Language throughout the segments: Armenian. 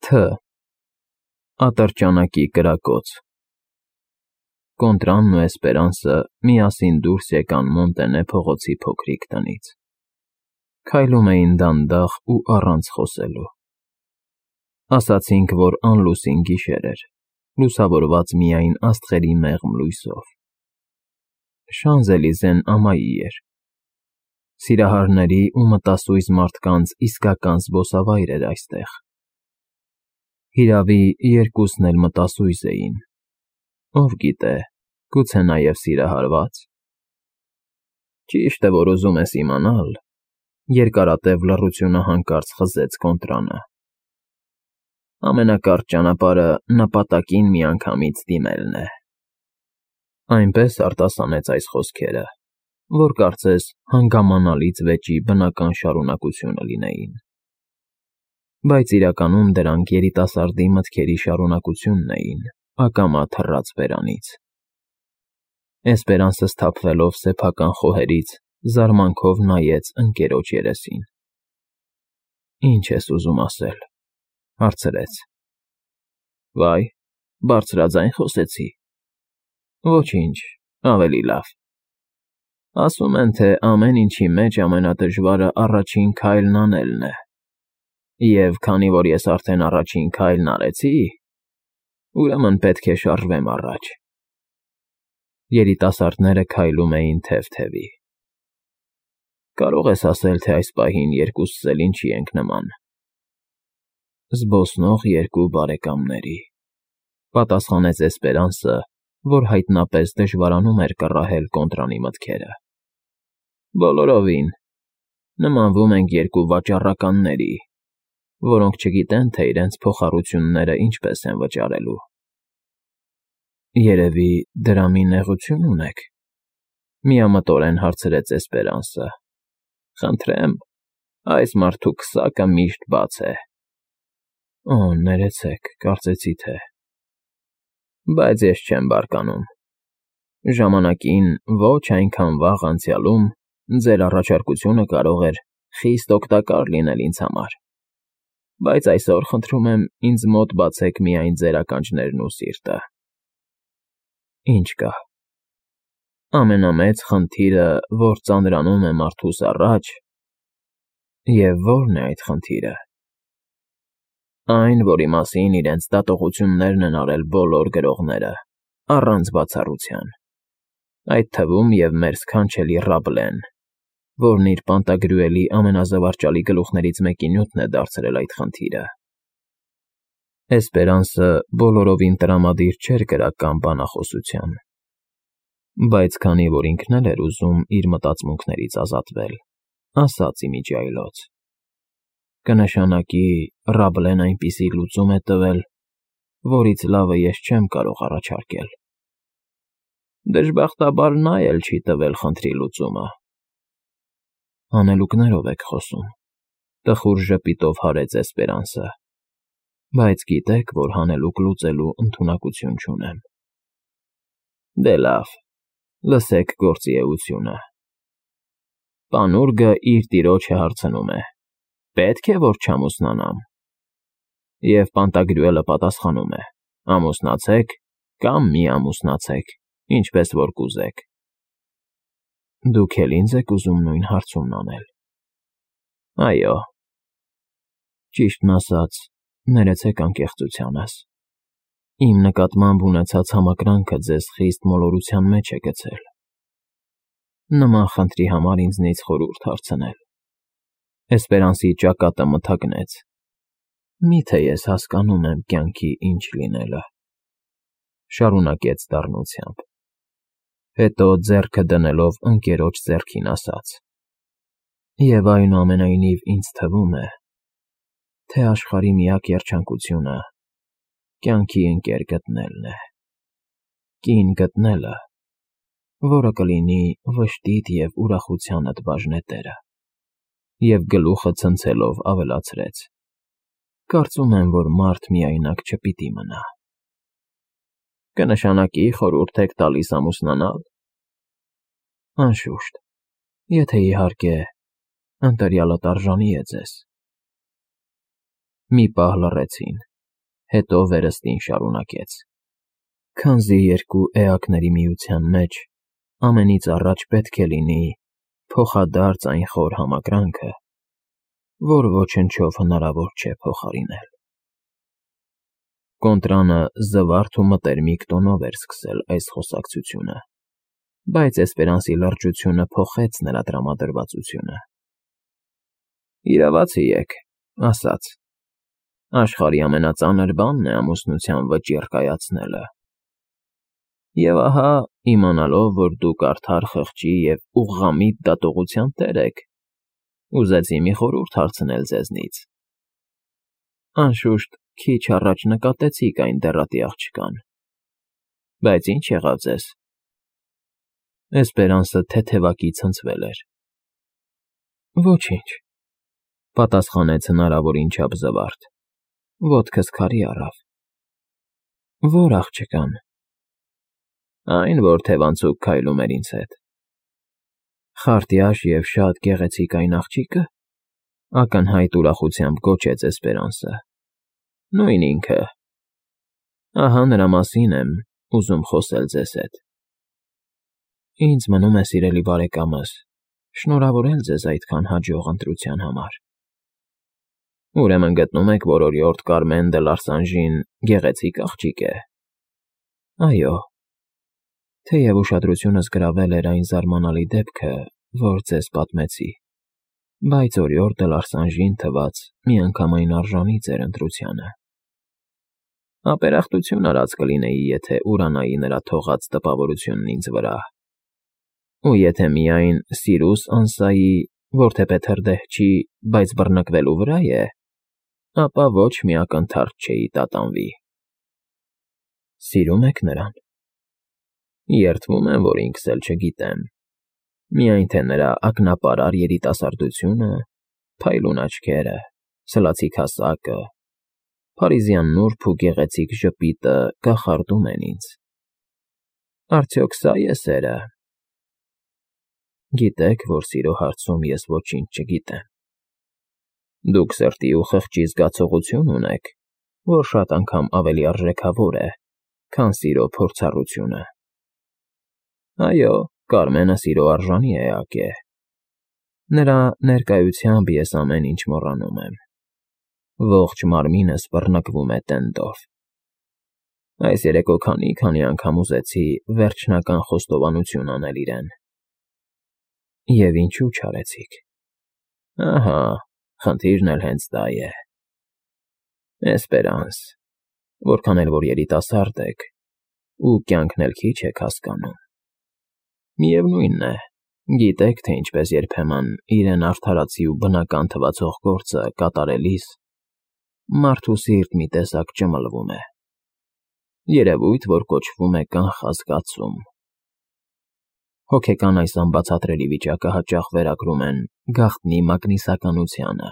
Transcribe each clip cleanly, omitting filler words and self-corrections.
Თ. Ատրճանակի կրակոց։ Կոնտրանն ու Էսպերանսը միասին դուրս եկան Մոնտենե փողոցի փոքրիկ տնից։ Քայլում էին դանդաղ ու առանց խոսելու։ Ասացինք, որ անլուսին գիշեր էր, լուսավորված միայն աստղերի մեղմ լույսով։ Շանզելիզեն ամայի էր։ Սիրահարների ու մտասույզ մարդկանց իսկական զբոսավայր էր այստեղ։ Հիրավի, երկուսն էլ մտասույզ էին։ Ով գիտե, գուցե նաև սիրահարված։ Ճիշտ է, որ ուզում ես իմանալ, երկարատև լռությունը հանկարծ խզեց Կոնտրանը։ Ամենակարճ ճանապարհը նպատակին միանգամից դիմելն է։ Այնպես արտասանեց այս խոսքերը, որ կարծես հանգամանալից վեճի բնական շարունակությունը լինեին։ Բայց իրականում դրանք երիտասարդի մտքերի շարունակությունն էին, ակամա թռած բերանից։ Էսպերանսը սթափվելով սեփական խոհերից, զարմանքով նայեց ընկերոջ երեսին։ Ինչ ես ուզում ասել, հարցրեց։ Վայ, բարձրաձայն խոսեցի։ Ոչինչ, ավելի լավ։ Ասում են, թե ամեն ինչի մեջ ամենադժվարը առաջին քայլն անելն է։ Եվ քանի որ ես արդեն առաջին քայլն արեցի, ուրեմն պետք է շարժվեմ առաջ։ Երիտասարդները քայլում էին թև-թևի։ Կարող ես ասել, թե այս պահին երկուսս էլ ինչի ենք նման։ Զբոսնող երկու բարեկամների, պատասխանեց Էսպերանսը, որ հայտնապես դժվարանում էր կռահել Կոնտրանի մտքերը։ Բոլորովին, նմանվում ենք երկու վաճառականների, որոնք չգիտեն, թե իրենց փոխառությունները ինչպես են վճարելու։ Երևի դրամի նեղություն ունեք, միամտորեն հարցրեց Էսպերանսը։ Խնդրեմ, այս մարդու քսակը միշտ բաց է։ Օ, ներեցեք, կարծեցի թե։ Բայց ես չեմ բարկանում։ Ժամանակին ոչ այնքան վաղ անցյալում ձեր առաջարկությունը կարող էր խիստ օգտակար լինել ինձ համար։ Բայց այսօր խնդրում եմ ինձ մոտ բացեք միայն ձեր ականջներն ու սիրտը։ Ինչ կա։ Ամենամեծ խնդիրը, որ ծանրանում է մարդուս առաջ, և ո՞րն է այդ խնդիրը։ Այն, որի մասին իրենց դատողություններն են արել բոլոր գրողները, առանց բացառության, այդ թվում և մեր սքանչելի Ռաբլեն, որն իր պանտագրուելի ամենազվարճալի գլուխներից մեկի նյութն է դարձրել այդ խնդիրը։ Էսպերանսը բոլորովին տրամադիր չէր գրական բանախոսության, բայց քանի որ ինքն էլ էր ուզում իր մտածմունքներից ազատվել, ասաց իմիջիայլոց. Կնշանակի Ռաբլեն այնպիսի լուծում է տվել, որից լավը ես չեմ կարող առաջարկել։ Դժբախտաբար նա էլ չի տվել խնդրի լուծումը։ Հանելուկներով եք խոսում, տխուր ժպիտով հարեց Էսպերանսը, բայց գիտեք, որ հանելուկ լուծելու ընդունակություն չունեմ։ Դե լավ, լսեք գործի էությունը։ Պանուրգը իր տիրոջը հարցնում է. պետք է, որ չամուսնանամ։ Եվ Պանտագրյուելը պատասխանում է. ամուսնացեք կամ մի ամուսնացեք, ինչպես որ կուզեք։ Դուք էլ ինձ եք ուզում նույն հարցումն անել։ Այո։ Ճիշտն ասած, ներեցեք անկեղծությանս։ Իմ նկատմամբ ունեցած համակրանքը ձեզ խիստ մոլորության մեջ է գցել։ Նման խնդրի համար ինձնից խորհուրդ հարցնել։ Էսպերանսի ճակատը մթագնեց։ Միթե ես հասկանում եմ կյանքի ինչ լինելը։ Շարունակեց դառնությամբ։ Հետո ձեռքը դնելով ընկերոջ ձեռքին ասաց. Եվ այնուամենայնիվ ինձ թվում է, թե աշխարհի միակ երջանկությունը կյանքի ընկեր գտնելն է։ Կին գտնելը, որը կլինի վշտիդ և ուրախությանդ բաժնետերը։ Եվ գլուխը ցնցելով ավելացրեց. Կարծում եմ, որ մարդ միայնակ չպիտի մնա։ Կնշանակի խորհուրդ եք տալիս ամուսնանալ։ Անշուշտ, եթե իհարկե ընտրյալդ արժանի է ձեզ։ Մի պահ լռեցին։ Հետո վերստին շարունակեց. Քանզի երկու էակների միության մեջ ամենից առաջ պետք է լինի փոխադարձ այն խոր համակրանքը, որ ոչնչով հնարավոր չէ փոխարինել։ Կոնտրանը զվարթ ու մտերմիկ տոնով էր սկսել այս խոսակցությունը, բայց Էսպերանսի լրջությունը փոխեց նրա տրամադրվածությունը։ Իրավացի եք, ասաց. Աշխարհի ամենածանր բանն է ամուսնության վճիռ կայացնելը։ Եվ ահա, իմանալով, որ դուք արդար խղճի և ուղղամիտ դատողության տեր եք, ուզեցի մի խորհուրդ հարցնել ձեզնից։ Անշուշտ, քիչ առաջ նկատեցիք այն դեռատի աղջկան, բայց ինչ եղավ ձեզ։ Էսպերանսը թեթևակի ցնցվել էր։ Ոչինչ, պատասխանեց հնարավորին չափ զվարթ, ոտքս քարի առավ։ Ո՞ր աղջկան։ Այն, որ թևանցուկ քայլում էր ինձ հետ։ Խարտյաշ և շատ գեղեցիկ այն աղջիկը, ակնհայտ ուրախությամբ գոչեց Էսպերանսը։ Նույն ինքը։ Ահա նրա մասին եմ ուզում խոսել ձեզ հետ։ Ինձ մնում է, սիրելի բարեկամս, շնորհավորել ձեզ այդքան հաջող ընտրության համար։ Ուրեմն գտնում եք, որ օրիորդ Կարմեն դե Լարսանժին գեղեցիկ աղջիկ է։ Այո, թեև ուշադրությունս գրավել էր այն զարմանալի դեպքը, որ ձեզ պատմեցի, բայց օրիորդ դե Լարսանժին թվաց միանգամայն արժանի ձեր ընտրությանը։ Ապերախտություն արած կլինեի, եթե ուրանայի նրա թողած տպավորությունն ինձ վրա։ Ու եթե միայն Սիրուս Անսայի, որթեպետ հրդեհ չի, բայց բռնկվելու վրա է, ապա ոչ մի ակնթարթ չէի տատանվի։ Սիրում եք նրան։ Երդվում եմ, որ ինքս էլ չգիտեմ, միայն թե նրա ակնապարար երիտասարդությունը, փայլուն աչքերը, սլացիկ հասակը, փարիզյան նուրբ ու գեղեցիկ ժպիտը կախարդում են ինձ։ Արդյոք սա է սերը։ Գիտեք, որ սիրո հարցում ես ոչինչ չգիտեմ։ Դուք սրտի ու խղճի զգացողություն ունեք, որ շատ անգամ ավելի արժեքավոր է, քան սիրո փորձառությունը։ Այո, Կարմենը սիրո արժանի էակ է։ Նրա ներկայությամբ ես ամեն ինչ մոռանում եմ։ Ողջ մարմինս բռնկվում է տենդով։ Այս երեկո քանի անգամ ուզեցի վերջնական խոստովանություն անել իրեն։ Եվ ինչու չարեցիք։ Ահա, խնդիրն էլ հենց դա է։ Էսպերանս, որքան էլ որ երիտասարդ եք, ու կյանքն էլ քիչ եք հասկանում։ Միևնույնն է, գիտեք, թե ինչպես երբեմն իրեն արդարացի ու բնական թվացող գործը կատարելիս մարդու սիրտ մի տեսակ ճմլվում է։ Երևույթ, որ կոչվում է կանխազգացում։ Հոգեկան այս անբացատրելի վիճակը հաճախ վերագրում են գաղտնի մագնիսականությանը։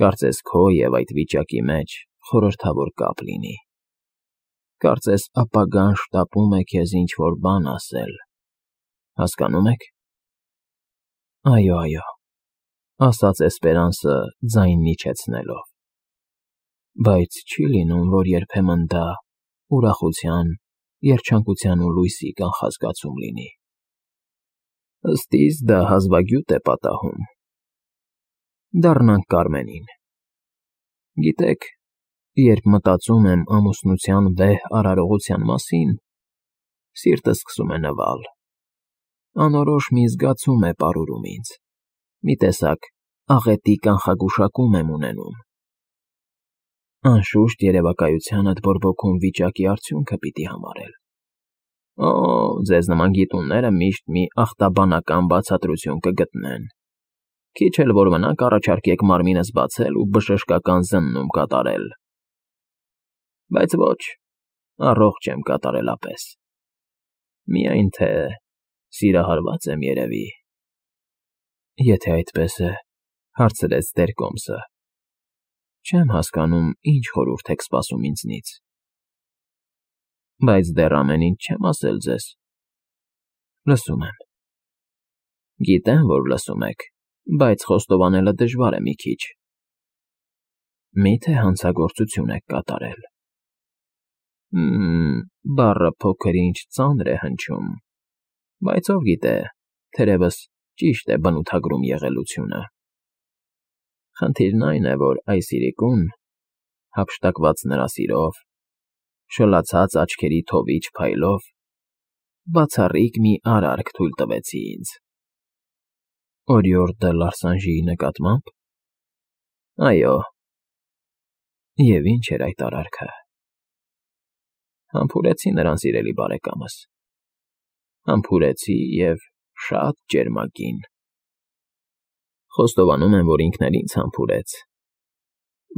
Կարծես քո և այդ վիճակի մեջ խորհրդավոր կապ լինի։ Կարծես ապագան շտապում է քեզ ինչ-որ բան ասել։ Հասկանում եք։ Այո, ասաց Էսպերանսը ձայնն իջեցնելով։ Բայց չի լինում, որ երբեմն դա ուրախության, երջանկության ու լույսի կանխազգացում լինի։ Ըստ իս դա հազվագյուտ է պատահում։ Դառնանք Կարմենին։ Գիտեք, երբ մտածում եմ ամուսնության վեհ արարողության մասին, սիրտս սկսում է նվալ։ Անորոշ մի զգացում է պարուրում ինձ։ Մի տեսակ աղետի կանխագուշակում եմ ունենում։ Անշուշտ երևակայությանդ բորբոքում վիճակի արդյունքը պիտի համարել։ Օ, ձեզ նման գիտունները միշտ մի ախտաբանական բացատրություն կգտնեն։ Քիչ էլ որ մնա կառաջարկեք մարմինս բացել ու բժշկական զննում կատարել։ Բայց ոչ, առողջ եմ կատարելապես։ Միայն թե սիրահարված եմ երևի։ Եթե այդպես է, հարցրեց Տեր-Կոմսը, չեմ հասկանում, ինչ խորհուրդ եք սպասում ինձնից։ Բայց դեռ ամեն ինչ չեմ ասել ձեզ։ Լսում եմ։ Գիտեմ, որ լսում եք, բայց խոստովանելը դժվար է մի քիչ։ Մի՞թե հանցագործություն եք կատարել։ Բառը փոքր-ինչ ծանր է հնչում, բայց ով գիտե, թերևս ճիշտ է բնութագրում եղելությունը։ Խնդիրն այն է, որ այս իրիկուն, հափշտակված նրա սիրով, շլացած աչքերի թովիչ փայլով, բացառիկ մի արարք թույլ տվեցի ինձ։ Օրիորդ դը Լարսանժիի նկատմամբ։ Այո։ Եվ ինչ էր այդ արարքը։ Համբուրեցի նրան, սիրելի բարեկամս, համբուրեցի և շատ ճերմակին։ Խոստովանում եմ, որ ինքն էլ ինձ համբուրեց,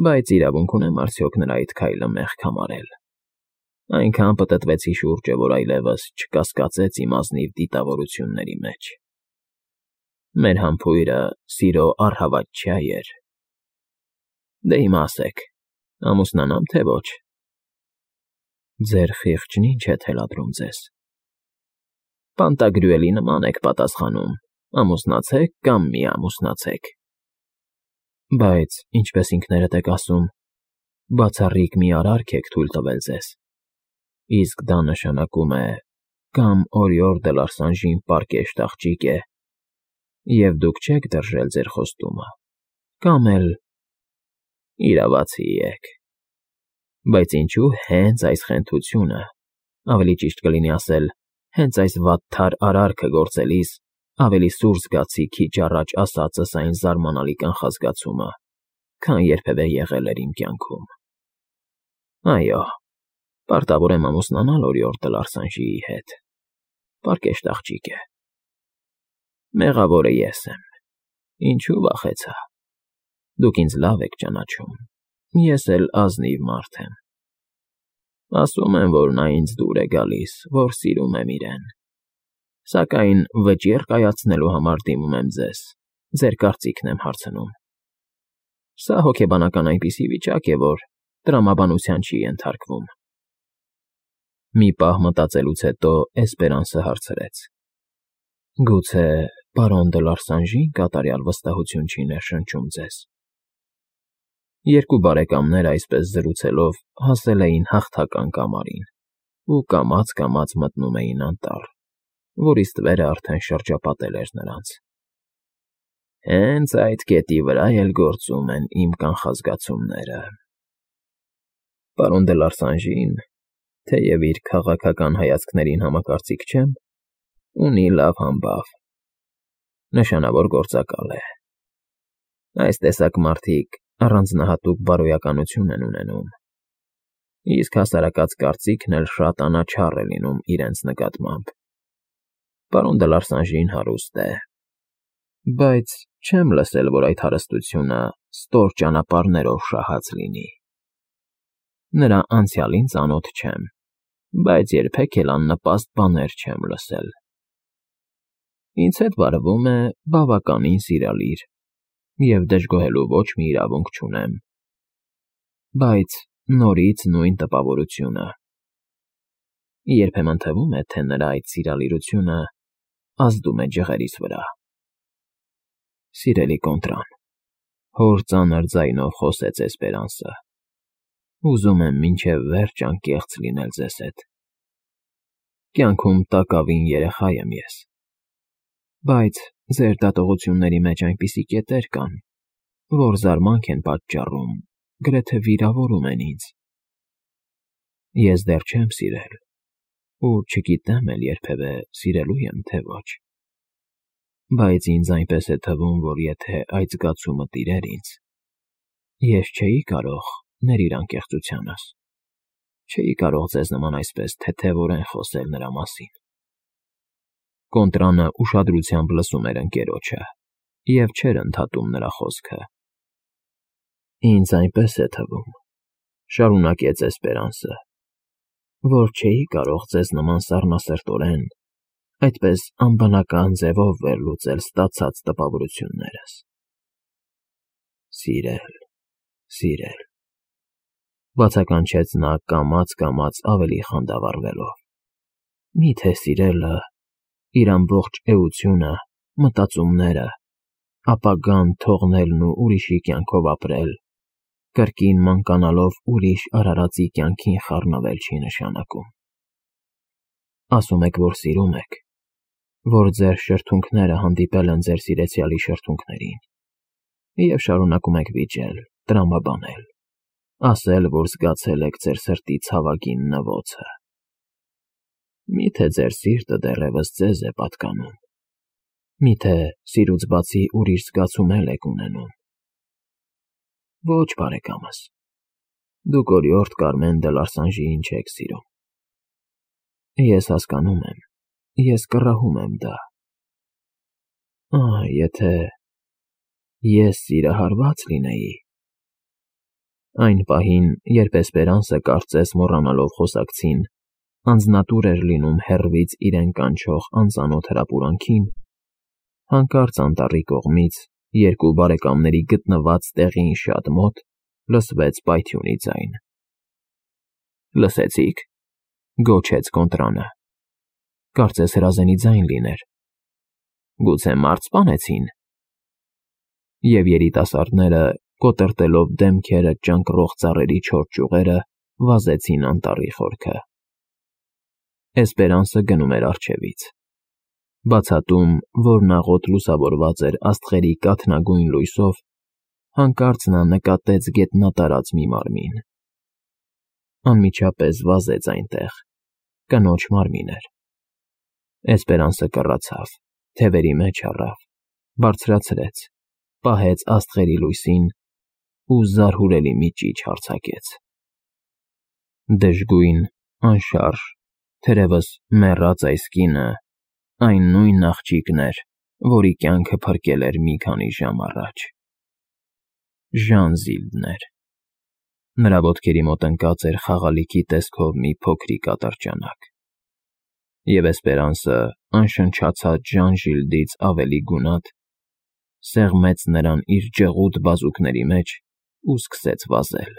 բայց իրավունք ունեմ արդյոք նրա այդ քայլը մեղք համարել։ Այնքան պտտվեցի շուրջը, որ այլևս չկասկածեց իմ ազնիվ դիտավորությունների մեջ։ Մեր համբույրը սիրո առհավատչյա էր։ Դե հիմա ասեք, ամուսնանամ թե ոչ։ Ձեր խիղճն ինչ է թելադրում ձեզ։ Պանտագրյուելի նման եք պատասխանում, ամուսնացեք կամ մի ամուսնացեք։ Բայց, ինչպես ինքներդ եք ասում, բացառիկ մի արարք եք թույլ տվել ձեզ։ Իսկ դա նշանակում է կամ Օրիորդ դը Լարսանժին պարկեշտ աղջիկ է, և դուք չեք դրժել ձեր խոստումը, կամ էլ իրավացի եք։ Բայց ինչու հենց այս խենթությունը, ավելի ճիշտ կլինի ասել, հենց այս վատթար արարքը գործելիս ավելի սուր զգացի քիչ առաջ ասածս այն զարմանալի կանխազգացումը, քան երբևէ եղել էր իմ կյանքում։ Այո, պարտավոր եմ ամուսնանալ Օրիորդ դը Լարսանժիի հետ։ Պարկեշտ աղջիկ է։ Մեղավորը ես եմ։ Ինչու վախեցա։ Դուք ինձ լավ եք ճանաչում, ես էլ ազնիվ մարդ եմ։ Ասում են, որ նա ինձ դուր է գալիս, որ սիրում եմ իրեն։ Սակայն վճիռ կայացնելու համար դիմում եմ ձեզ, ձեր կարծիքն եմ հարցնում։ Սա հոգեբանական այնպիսի վիճակ է, որ տրամաբանության չի ենթարկվում։ Մի պահ մտածելուց հետո Էսպերանսը հարցրեց. Գուցե պարոն դը Լարսանժին կատարյալ վստահություն չի ներշնչում ձեզ։ Երկու բարեկամներ այսպես զրուցելով հասել էին հաղթական կամարին ու կամաց մտնում էին անտառ, որի ստվերը արդեն շրջապատել էր նրանց։ Հենց այդ կետի վրա էլ գործում են իմ կանխազգացումները։ Պարոն դը Լարսանժին, թեև իր քաղաքական հայացքներին համակարծիք չեմ, ունի լավ համբավ, նշանավոր գործակալ է։ Այս տեսակ մարդիկ առանձնահատուկ բարոյականություն են ունենում, իսկ հասարակած կարծիքն էլ շատ անաչառ է լինում իրենց նկատմամբ։ Պարոն դը Լարսանժին հարուստ է, բայց չեմ լսել, որ այդ հարստությունը ստոր ճանապարհներով շահած լինի։ Նրա անցյալին ծանոթ չեմ, բայց երբեք էլ աննպաստ բաներ չեմ լսել։ Ինձ հետ վարվում է բավականին սիրալիր, և դժգոհելու ոչ մի իրավունք չունեմ։ Բայց նորից նույն տպավորությունը։ Երբեմն թվում է, թե նրա այդ սիրալիրությունը ազդում է ջղերիս վրա։ Սիրելի Կոնտրան, հոր ծանր ձայնով խոսեց Էսպերանսը, ուզում եմ մինչև վերջ անկեղծ լինել ձեզ հետ։ Կյանքում տակավին երեխա եմ ես, բայց ձեր դատողությունների մեջ այնպիսի կետեր կան, որ զարմանք են պատճառում, գրեթե վիրավորում են ինձ։ Ես դեռ չեմ սիրել ու չգիտեմ էլ երբևէ սիրելու եմ, թե ոչ։ Բայց ինձ այնպես է թվում, որ եթե այդ զգացումը տիրեր ինձ, ես չէի կարող, ներիր անկեղծությանս, չէի կարող ձեզ նման այսպես թեթևորեն խոսել նրա մասին։ Կոնտրանը ուշադրությամբ լսում էր ընկերոջը և չէր ընդհատում նրա խոսքը։ Ինձ այնպես է թվում, շարունակեց Էսպերանսը, որ չէի կարող ձեզ նման սառնասրտորեն, այդպես անբնական ձևով վերլուծել ստացած տպավորություններս։ Սիրել, բացականչեց նա կամաց ավելի խանդավառվելով։ Միթե սիրելը, իր ամբողջ էությունը, մտածումները, ապագան թողնելն ու ուրիշի կյանքով ապրել, Կրկին մանկանալով ուրիշ արարածի կյանքին խառնվել չի նշանակում։ Ասում եք, որ սիրում եք, որ ձեր շրթունքները հանդիպել են ձեր սիրեցյալի շրթունքներին, և շարունակում եք վիճել, տրամաբանել, ասել, որ զգացել եք ձեր սրտի ցավագին նվոցը։ Մի՞թե ձեր սիրտը դեռևս ձեզ է պատկանում, մի՞թե սիրուց բացի ուրիշ զգացում եք ունենում։ Ոչ, բարեկամս, դուք օրիորդ Կարմեն դե Լարսանժիին չեք սիրում։ Ես հասկանում եմ, ես կռահում եմ դա։ Եթե ես սիրահարված լինեի… Այն պահին, երբ Էսպերանսը կարծես մոռանալով խոսակցին, անձնատուր էր լինում հեռվից իրեն կանչող անծանոթ հրապուրանքին, հանկարծ անտառի կողմից, երկու բարեկամների գտնված տեղին շատ մոտ, լսվեց պայթյունի ձայն։ «Լսեցի՞ք,» գոչեց Կոնտրանը, կարծես հրազենի ձայն լիներ։ «Գուցե մարդ սպանեցին»։ Եվ երիտասարդները, կոտրտելով դեմքերը ճանկռող ծառերի չոր ճյուղերը, վազեցին անտառի խորքը։ Էսպերանսը գնում էր առջևից։ Բացատում, որն աղոտ լուսավորված էր աստղերի կաթնագույն լույսով, հանկարծ նա նկատեց գետնատարած մի մարմին։ Անմիջապես վազեց այնտեղ, կնոջ մարմին էր։ Էսպերանսը կռացավ, թևերի մեջ առավ, բարձրացրեց, պահեց աստղերի լույսին ու զարհուրելի մի ճիչ արձակեց։ Դժգույն, անշարժ, թերևս մեռած այս կինը այն նույն աղջիկն էր, որի կյանքը փրկել էր մի քանի ժամ առաջ։ Ժանզիլդն էր։ Նրա ոտքերի մոտ ընկած էր խաղալիքի տեսքով մի փոքրիկ ատրճանակ, և Էսպերանսը, անշնչացած Ժանժիլդից ավելի գունատ, սեղմեց նրան իր ջղուդ բազուկների մեջ ու սկսեց վազել։